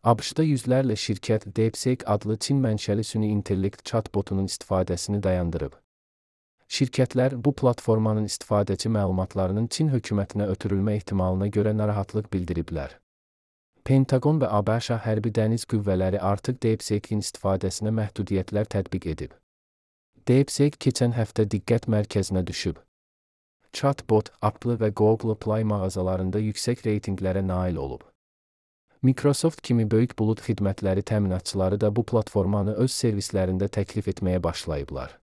ABŞ-da yüzlərlə şirkət DeepSeek adlı Çin mənşəli süni intellekt chatbotunun istifadəsini dayandırıb. Şirkətlər bu platformanın istifadəçi məlumatlarının Çin hökumətinə ötürülmə ehtimalına görə narahatlıq bildiriblər. Pentagon və ABŞ hərbi dəniz qüvvələri artıq DeepSeek-in istifadəsinə məhdudiyyətlər tətbiq edib. DeepSeek keçən həftə diqqət mərkəzinə düşüb. Chatbot, Apple və Google Play mağazalarında yüksək reytinqlərə nail olub. Microsoft kimi böyük bulud xidmətləri təminatçıları da bu platformanı öz servislərində təklif etməyə başlayıblar.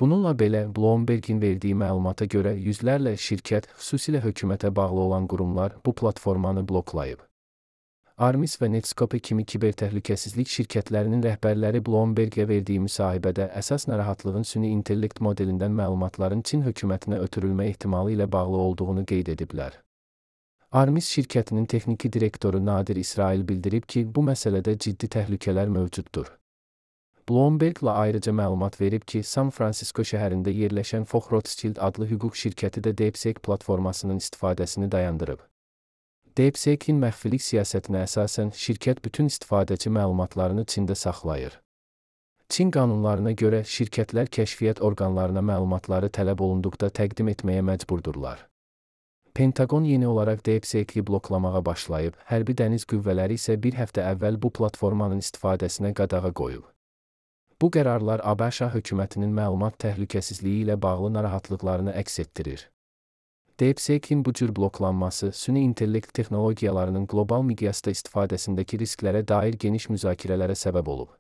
Bununla belə, Bloomberg-in verdiyi məlumata görə yüzlərlə şirkət, xüsusilə hökumətə bağlı olan qurumlar bu platformanı bloklayıb. Armis və Netscape kimi kibertəhlükəsizlik şirkətlərinin rəhbərləri Bloomberg-ə verdiyi müsahibədə əsas narahatlığın süni intellekt modelindən məlumatların Çin hökumətinə ötürülmə ehtimalı ilə bağlı olduğunu qeyd ediblər. Armis şirkətinin texniki direktoru Nadir İsrail bildirib ki, bu məsələdə ciddi təhlükələr mövcuddur. Bloomberg-la ayrıca məlumat verib ki, San Francisco şəhərində yerləşən Fox Rothschild adlı hüquq şirkəti də DeepSeek platformasının istifadəsini dayandırıb. DeepSeek-in məxfilik siyasətinə əsasən şirkət bütün istifadəçi məlumatlarını Çində saxlayır. Çin qanunlarına görə şirkətlər kəşfiyyat orqanlarına məlumatları tələb olunduqda təqdim etməyə məcburdurlar. Pentagon yeni olaraq DeepSeek-i bloklamağa başlayıb, hərbi dəniz qüvvələri isə bir həftə əvvəl bu platformanın istifadəsinə qadağa qoyub. Bu qərarlar ABŞ hökumətinin məlumat təhlükəsizliyi ilə bağlı narahatlıqlarını əks etdirir. DeepSeek-in bu cür bloklanması süni intellekt texnologiyalarının qlobal miqyasda istifadəsindəki risklərə dair geniş müzakirələrə səbəb olub.